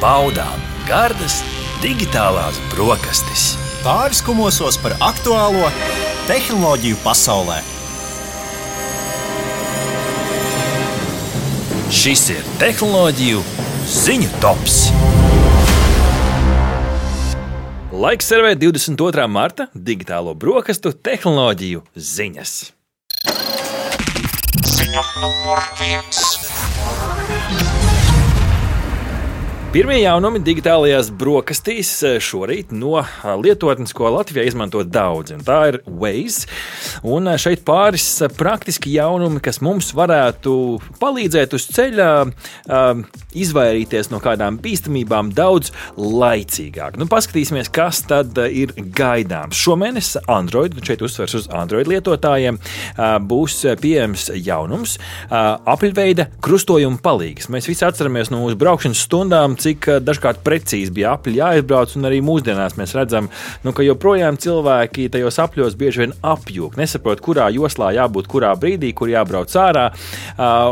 baudām gardas digitālās brokastis. Pāris kumosos par aktuālo tehnoloģiju pasaulē. Šis ir tehnoloģiju ziņu tops. Laiks servēt 22. marta digitālo brokastu tehnoloģiju ziņas. Ziņa numur 1. Pirmie jaunumi digitālajās brokastīs šorīt no lietotnes, ko Latvijā izmanto daudzi. Tā ir Waze. Un šeit pāris praktiski jaunumi, kas mums varētu palīdzēt uz ceļa izvairīties no kādām bīstamībām daudz laicīgāk. Paskatīsimies, kas tad ir gaidāms. Šomēnes Android, šeit uzsvers uz Android lietotājiem, būs pieejams jaunums apļveida krustojuma palīgs. Mēs visi atceramies no mūsu braukšanas stundām, cik dažkārt precīzi bija apļi jāizbrauc, un arī mūsdienās mēs redzam, ka joprojām cilvēki tajos apļos bieži vien apjūk, nesaprot, kurā joslā jābūt, kurā brīdī, kur jābrauc ārā,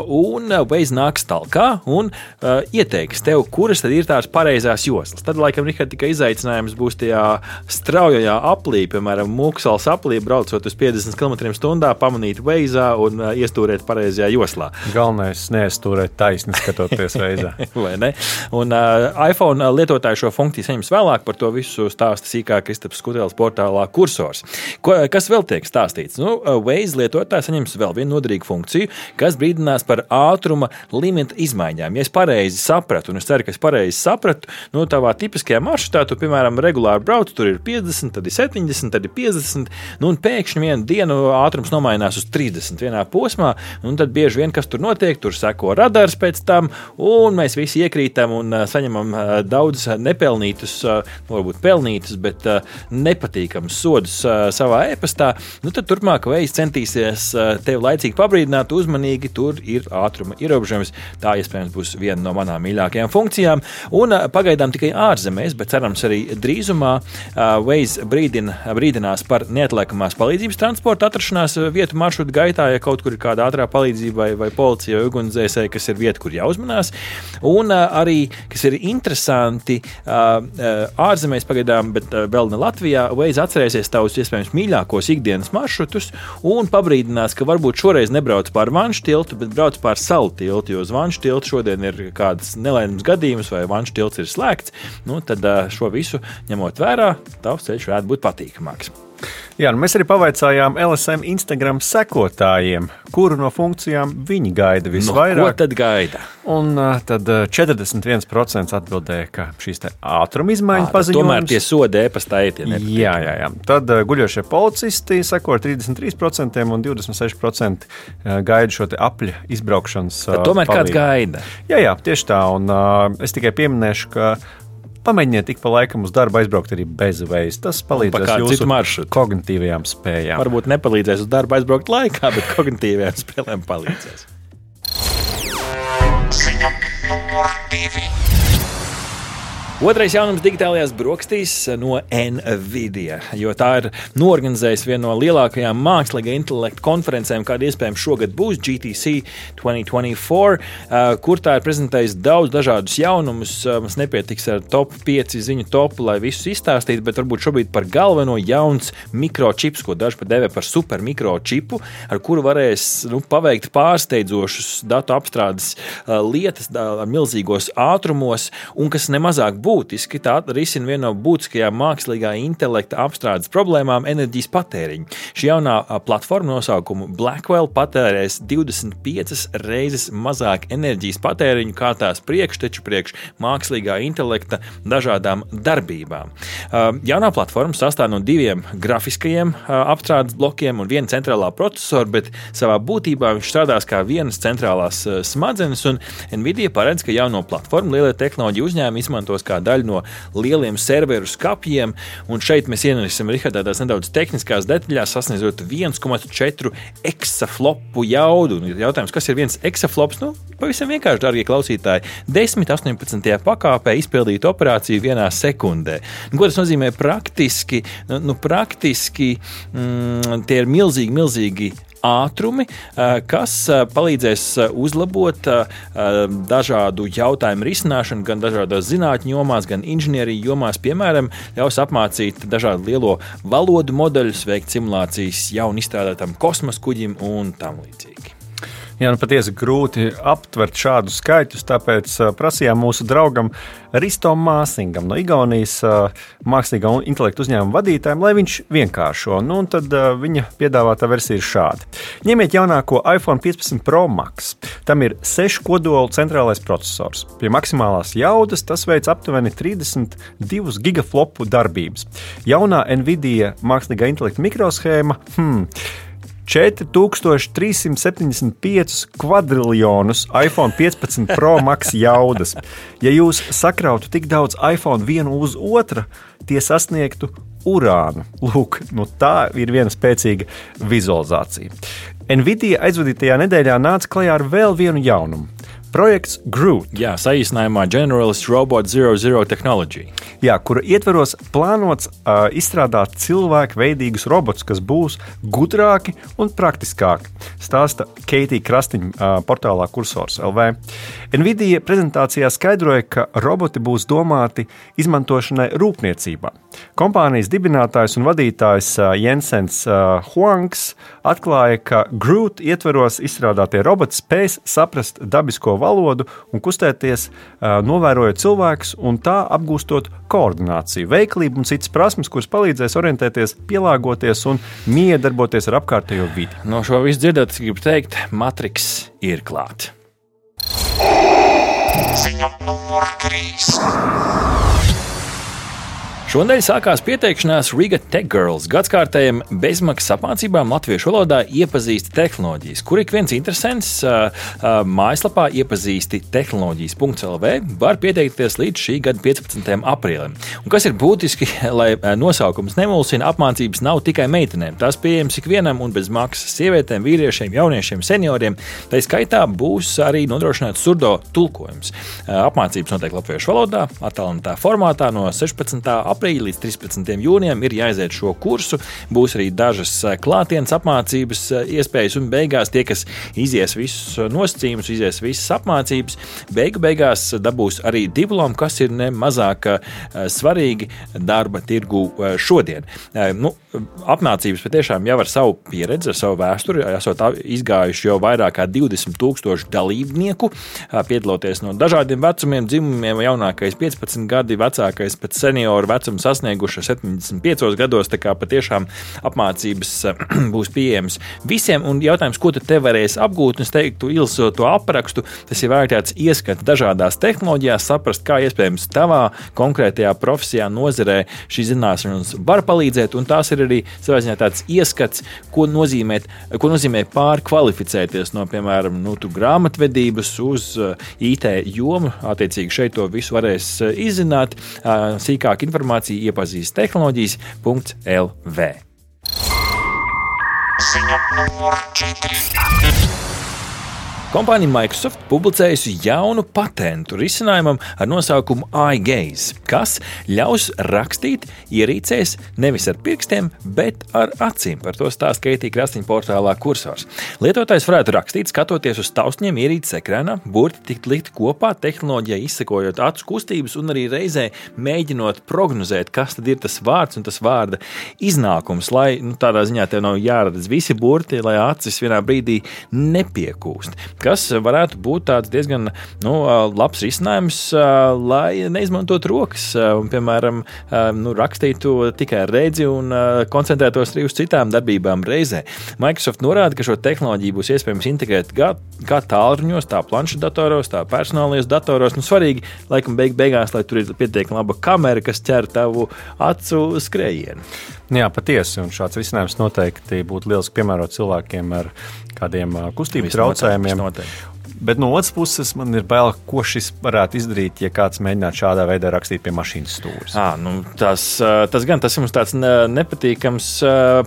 un Waze nāks talkā un ieteiks tev, kuras tad ir tās pareizās joslas. Tad, laikam, tikai izaicinājums būs tajā straujajā aplī, piemēram, Mūksals aplī, braucot uz 50 km/h, pamanīt Waze'ā un iestūrēt pareizajā joslā. Galvenais neiestūrēt taisni, skatoties Waze'ā. Vai ne? Un iPhone lietotāji šo funkciju saņems vēlāk, par to visu stāsta sīkāk Kristaps Skutelis portālā Kursors. Kas vēl tiek stāstīts? Waze lietotāji saņems vēl vienu noderīgu funkciju, kas brīdinās par ātruma limita izmaiņām. Ja es pareizi sapratu, un es ceru, ka es pareizi sapratu, tavā tipiskajā maršrutā, tu, piemēram, regulāri brauc, tur ir 50, tad ir 70, tad ir 50, un pēkšņi vienu dienu ātrums nomainās uz 30 vienā posmā, un tad bieži vien, kas tur notiek, tur seko radars pēc tam, un mēs visi iekrītam un saņemam daudz nepelnītus, varbūt pelnītus, bet nepatīkamus sodus savā e-pastā, tad turpmāk Waze centīsies tevi laicīgi pabrīdināt, uzmanīgi, tur ir ātruma ierobežojums. Tā iespējams būs viena no manām mīļākajām funkcijām. Un pagaidām tikai ārzemēs, bet cerams arī drīzumā Waze brīdinās par neatliekamās palīdzības transporta atrašanās vietu maršrutu gaitā, ja kaut kur ir kāda ātrā palīdzība vai policija vai ugunsdzēsēji, kas ir vieta, kur jāuzmanās. Un arī, kas ir interesanti, ārzemēs pagaidām, bet vēl ne Latvijā, Waze atcerēsies tavus iespējams mīļākos ikdienas maršrutus un pabrīdinās, ka varbūt šoreiz nebrauc pār Vanšu tiltu, bet brauc pār Salu tiltu, jo uz Vanšu tiltu šodien ir kādas nelaimes gadījumus vai Vanšu tilts ir slēgts, tad šo visu ņemot vērā, tavs ceļš varētu būt patīkamāks. Jā, mēs arī pavaicājām LSM Instagram sekotājiem, kuru no funkcijām viņi gaida visvairāk. Ko tad gaida? Un tad 41% atbildēja, ka šīs te ātruma izmaiņas paziņojums. Tomēr tie sodi e-pastā ētieni. Jā. Tad guļošie policisti seko ar 33% un 26% gaida šo te apļa izbraukšanas tad tomēr palīdzību. Kāds gaida? Jā, tieši tā. Un es tikai pieminēšu, ka pamēģiniet tik pa laikam uz darbu aizbraukt arī bez Waze. Tas palīdzēs jūsu kognitīvajām spējām. Varbūt nepalīdzēs uz darbu aizbraukt laikā, bet kognitīvajām spēlēm palīdzēs. Ziņa numur 2. Otrais jaunums digitālajās brokastīs no NVIDIA, jo tā ir noorganizējusi vienu no lielākajām mākslīgā intelekta konferencēm, kāda iespējams šogad būs GTC 2024, kur tā ir prezentējusi daudz dažādus jaunumus. Mums nepietiks ar top 5 ziņu topu, lai visus izstāstītu, bet varbūt šobrīd par galveno jauns mikročips, ko daži pat devē par super mikročipu, ar kuru varēs paveikt pārsteidzošus datu apstrādes lietas milzīgos ātrumos, un kas nemazāk būtiski, tā risina vienu no būtiskajām mākslīgā intelekta apstrādes problēmām - enerģijas patēriņu. Šī jaunā platforma nosaukumu Blackwell patērēs 25 reizes mazāk enerģijas patēriņu kā tās priekšteču priekš mākslīgā intelekta dažādām darbībām. Jaunā platforma sastāv no 2 grafiskajiem apstrādes blokiem un 1 centrālā procesora, bet savā būtībā viņš strādās kā vienas centrālās smadzenes, un NVIDIA paredz, ka jauno platformu lielie tehnoloģiju uzņēmumi izmantos kā daļa no lieliem serveru skapjiem, un šeit mēs ienesim tādās nedaudz tehniskās detaļās, sasniedzot 1,4 exaflopu jaudu. Un jautājums, kas ir 1 exaflops? Pavisam vienkārši, dārgie klausītāji, 10-18 pakāpē izpildīt operāciju 1 sekundē. Ko tas nozīmē praktiski? Praktiski tie ir milzīgi ātrumi, kas palīdzēs uzlabot dažādu jautājumu risināšanu gan dažādās zinātņu jomās, gan inženieriju jomās. Piemēram, ļaus apmācīt dažādu lielo valodu modeļus, veikt simulācijas jaunu izstrādātam kosmosa kuģim un tam līdzīgi. Jā, patiesi grūti aptvert šādus skaitļus, tāpēc prasījām mūsu draugam Ristom Māsingam no Igaunijas mākslīgā intelekta uzņēmuma vadītājiem, lai viņš vienkāršo. Un tad viņa piedāvātā versija ir šāda. Ņemiet jaunāko iPhone 15 Pro Max. Tam ir 6 kodolu centrālais processors. Pie maksimālās jaudas tas veic aptuveni 32 gigaflopu darbības. Jaunā Nvidia mākslīgā intelekta mikroshēma 4375 kvadriljonus iPhone 15 Pro Max jaudas. Ja jūs sakrautu tik daudz iPhone vienu uz otru, tie sasniegtu urānu. Lūk, tā ir viena spēcīga vizualizācija. Nvidia aizvadītajā nedēļā nāca klajā ar vēl vienu jaunumu. Projekts Groot. Jā, saīsinājumā Generalist Robot 00 Technology. Jā, kura ietveros plānots izstrādāt cilvēku veidīgus robotus, kas būs gudrāki un praktiskāki, stāsta Keitija Krastiņa portālā Kursors LV. Nvidia prezentācijā skaidroja, ka roboti būs domāti izmantošanai rūpniecībā. Kompānijas dibinātājs un vadītājs Jensens Huangs atklāja, ka Groot ietveros izstrādātie roboti spēs saprast dabisko valodu un kustēties, novērojot cilvēkus un tā apgūstot koordināciju, veiklību un citas prasmes, kuras palīdzēs orientēties, pielāgoties un miedarboties ar apkārtējo vidi. No šo visu dzirdot, gribu teikt, Matrix ir klāt. Ziņa numur 3. Šonadēļ sākās pieteikšanās Riga Tech Girls gadskārtējiem bezmaksas apmācībām latviešu valodā iepazīsti tehnoloģijas, kur ik viens interesants mājaslapā iepazīsti tehnoloģijas.lv var pieteikties līdz šī gada 15. aprīlim. Un kas ir būtiski, lai nosaukums nemulsina, apmācības nav tikai meitenēm. Tās pieejams ikvienam un bez maksas sievietēm, vīriešiem, jauniešiem, senioriem. Tā skaitā būs arī nodrošināts surdo tulkojums. Apmācības notiek latviešu valodā, attālinātā formātā no 16. aprīļa līdz 13. jūnijam ir jāiziet šo kursu. Būs arī dažas klātienes apmācības iespējas un beigās tie, kas izies visus nosacījumus, izies visas apmācības, beigās dabūs arī diplomu, kas ir nemazāk svarīgi darba tirgu šodien. Apmācības patiešām jau ar savu pieredzi, ar savu vēsturi, esot izgājuši jau vairāk kā 20,000 dalībnieku, piedaloties no dažādiem vecumiem, dzimumiem, jaunākais 15 gadi, vecākais pēc senioru vecumu sasnieguši 75 gados, tā kā patiešām apmācības būs pieejamas visiem, un jautājums, ko tu te varēsi apgūt, un es teiktu, ilsot to aprakstu, tas ir vērtēts ieskats dažādās tehnoloģijās, saprast, kā iespējams tavā konkrētajā profesijā, nozarē šī zināšanas var palīdzēt, un tās ir arī savā ziņā tāds ieskats, ko nozīmē pārkvalificēties no, piemēram, grāmatvedības uz IT jomu. Attiecīgi šeit to visu varēs izzināt. Sīkāk informācija iepazīst tehnoloģijas.lv. Ziņa numur 4. Kompānija Microsoft publicējusi jaunu patentu risinājumam ar nosaukumu iGaze, kas ļaus rakstīt ierīcēs nevis ar pirkstiem, bet ar acīm. Par to stāsta Keitija Krastiņa portālā Kursors. Lietotājs varētu rakstīt, skatoties uz taustņiem ierīces ekrānā, burti tikt likt kopā, tehnoloģijai izsekojot acu kustības un arī reizē mēģinot prognozēt, kas tad ir tas vārds un tas vārda iznākums, lai tādā ziņā tev nav jāredz visi burti, lai acis vienā brīdī nepiekūst. Kas varētu būt tāds diezgan labs risinājums, lai neizmantot rokas un, piemēram, rakstītu tikai ar redzi un koncentrētos arī uz citām darbībām reizē. Microsoft norāda, ka šo tehnoloģiju būs iespējams integrēt kā tālruņos, tā planšetdatoros, tā personālajos datoros. Svarīgi, laikam, beigās, lai tur ir pietiekami laba kamera, kas ķer tavu acu skrējienu. Jā, patiesi, un šāds risinājums noteikti būtu lieliski piemērot cilvēkiem ar kādiem kustību traucējumiem. Bet no otras puses man ir bail, ko šis varētu izdarīt, ja kāds mēģinātu šādā veidā rakstīt pie mašīnas stūres. Tas ir mums tāds nepatīkams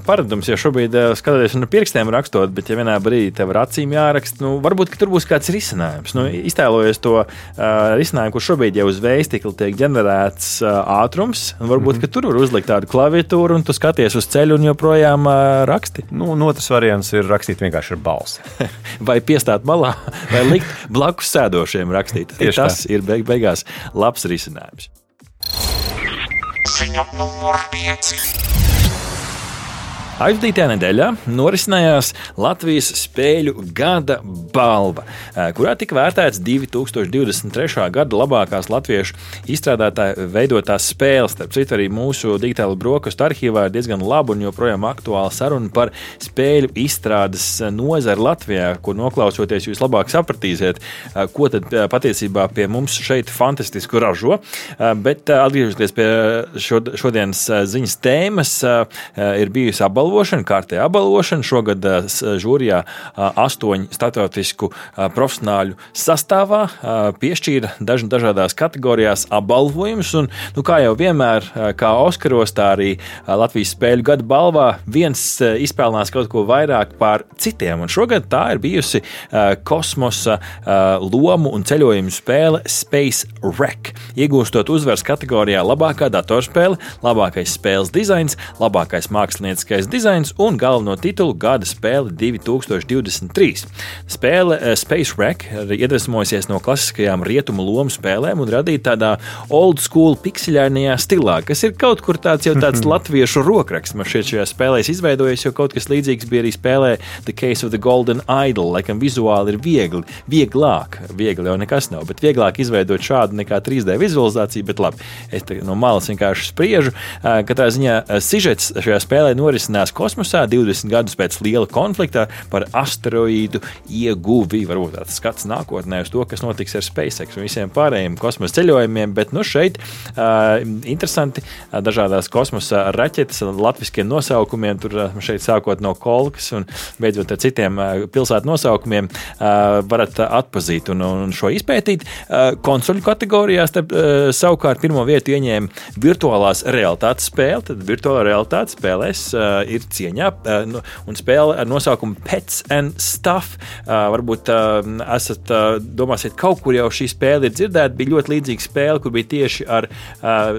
paradums, jo šobrīd skatoties ar pirkstiem rakstot, bet ja vienā brīdī tev ar acīm jāraksta, varbūt, ka tur būs kāds risinājums. Iztēlojies to risinājumu, kur šobrīd jau uz vējstikla tiek ģenerēts ātrums, un varbūt, ka tur var uzlikt tādu klaviatūru, un tu skaties uz ceļu un joprojām raksti. Otrs variants ir rakstīt vienkārši ar balsi. Vai piestāt malā, vai likt blakus sēdošiem rakstīt. Tas ir beigās labs risinājums. Ziņa numur 5. Aizvadītajā nedēļā norisinājās Latvijas spēļu gada balva, kurā tika vērtēts 2023. gada labākās latviešu izstrādātāju veidotās spēles. Starp citu, arī mūsu digitāla brokastu arhīvā ir diezgan laba un joprojām aktuāla saruna par spēļu izstrādes nozari Latvijā, kur noklausoties jūs labāk sapratīsiet, ko tad patiesībā pie mums šeit fantastisku ražo. Bet atgriežoties pie šodienas ziņas tēmas, ir bijusi kārtējā apbalvošana. Šogad žūrijā 8 starptautisku profesionāļu sastāvā piešķīra dažādās kategorijās apbalvojumus. Un, kā jau vienmēr, kā Oskaros, tā arī Latvijas spēļu gada balvā viens izpelnās kaut ko vairāk pār citiem. Un šogad tā ir bijusi kosmosa lomu un ceļojumu spēle Space Wreck, iegūstot uzvaras kategorijā labākā datorspēle, labākais spēles dizains, labākais mākslinieckais dizains un galveno titulu gada spēle 2023. Spēle Space Wreck iedvesmojusies no klasiskajām rietumu lomu spēlēm un radīta tādā old school pikseļainajā stilā, kas ir kaut kur tāds latviešu rokraksts. Man šķiet šajā spēlē izveidojies, jo kaut kas līdzīgs bija arī spēlē The Case of the Golden Idol. Laikam vizuāli ir vieglāk jau nekas nav, bet vieglāk izveidot šādu nekā 3D vizualizāciju, bet labi, es no malas vienkārši spriežu. Katrā ziņā sižets šajā spēlē norisinās kosmosā 20 gadus pēc liela konflikta par asteroīdu ieguvi. Varbūt tāds skats nākotnē uz to, kas notiks ar SpaceX un visiem pārējiem kosmosa ceļojumiem, bet šeit interesanti dažādās kosmosa raķetes ar latviskiem nosaukumiem, tur šeit sākot no Kolkas un beidzot ar citiem pilsētu nosaukumiem varat atpazīt un šo izpētīt. Konsoļu kategorijās savukārt pirmo vietu ieņēma virtuālās realitātes spēle, tad virtuālā realitātes spēlēs ir cieņā, un spēle ar nosaukumu Pets and Stuff. Varbūt domāsiet, kaut kur jau šī spēle ir dzirdēta. Bija ļoti līdzīga spēle, kur bija tieši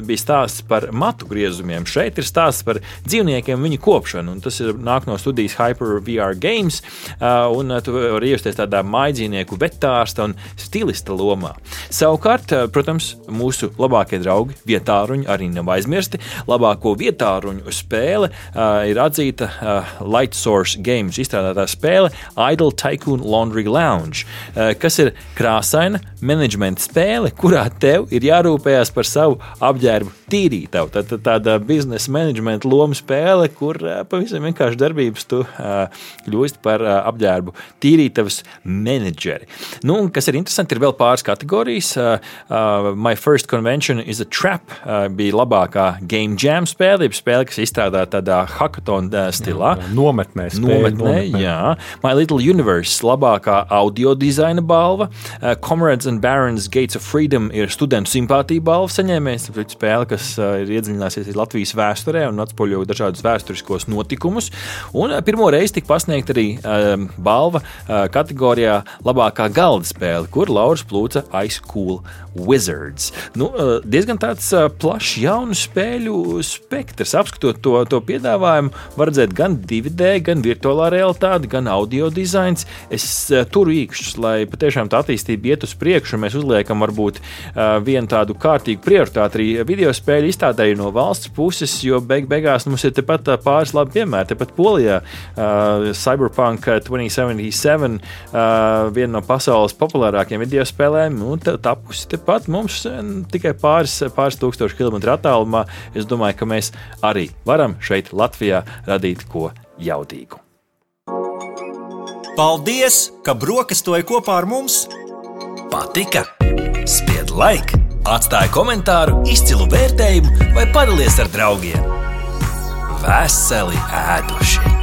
bija stāsts par matu griezumiem. Šeit ir stāsts par dzīvniekiem un viņu kopšanu, un tas nāk no studijas Hyper VR Games, un tu vari iejusties tādā mājdzīvnieku vetārsta un stilista lomā. Savukārt, protams, mūsu labākie draugi vietāruņi arī nav aizmirsti. Labāko vietāruņu spēle ir atzīta Light Source Games izstrādātā spēle Idle Tycoon Laundry Lounge, kas ir krāsaina menedžmenta spēle, kurā tev ir jārūpējās par savu apģērbu tīrītavu. Tāda biznesa menedžmenta loma spēle, kur pavisam vienkārši darbības tu kļūst par apģērbu tīrītavas menedžeri. Kas ir interesanti, ir vēl pāris kategorijas. My First Convention is a Trap bija labākā Game Jam spēle, kas izstrādāta tādā hackathon stilā. Nometnē. Jā. My Little Universe labākā audio dizaina balva. Comrades and Barons Gates of Freedom ir studentu simpātija balva saņēmējs. Spēle, kas ir iedziļināsies Latvijas vēsturē un atspoļo dažādus vēsturiskos notikumus. Un pirmo reizi tika pasniegt arī balva kategorijā labākā galda spēle, kur lauras plūca Ice Cool Wizards. Diezgan tāds plašs jaunu spēļu spektrs. Apskatot to piedāvājumu, var redzēt gan 2D, gan virtuālā realitāte, gan audio dizains. Es turu īkšķus, lai patiešām tā attīstība iet uz priekšu, un mēs uzliekam varbūt vienu tādu kārtīgu prioritāti arī video spēļu izstādēji no valsts puses, jo beigās mums ir tepat pāris labi piemēri. Tepat Polijā Cyberpunk 2077, viena no pasaules populārākajiem video spēlēm, tapusi tepat mums tikai pāris tūkstoši kilometru attālumā. Es domāju, ka mēs arī varam šeit Latvijā radīt ko jaudīgu. Paldies, ka brokastoji kopā ar mums! Patika? Spied like, atstāj komentāru, izcilu vērtējumu vai padalies ar draugiem. Veseli ēduši!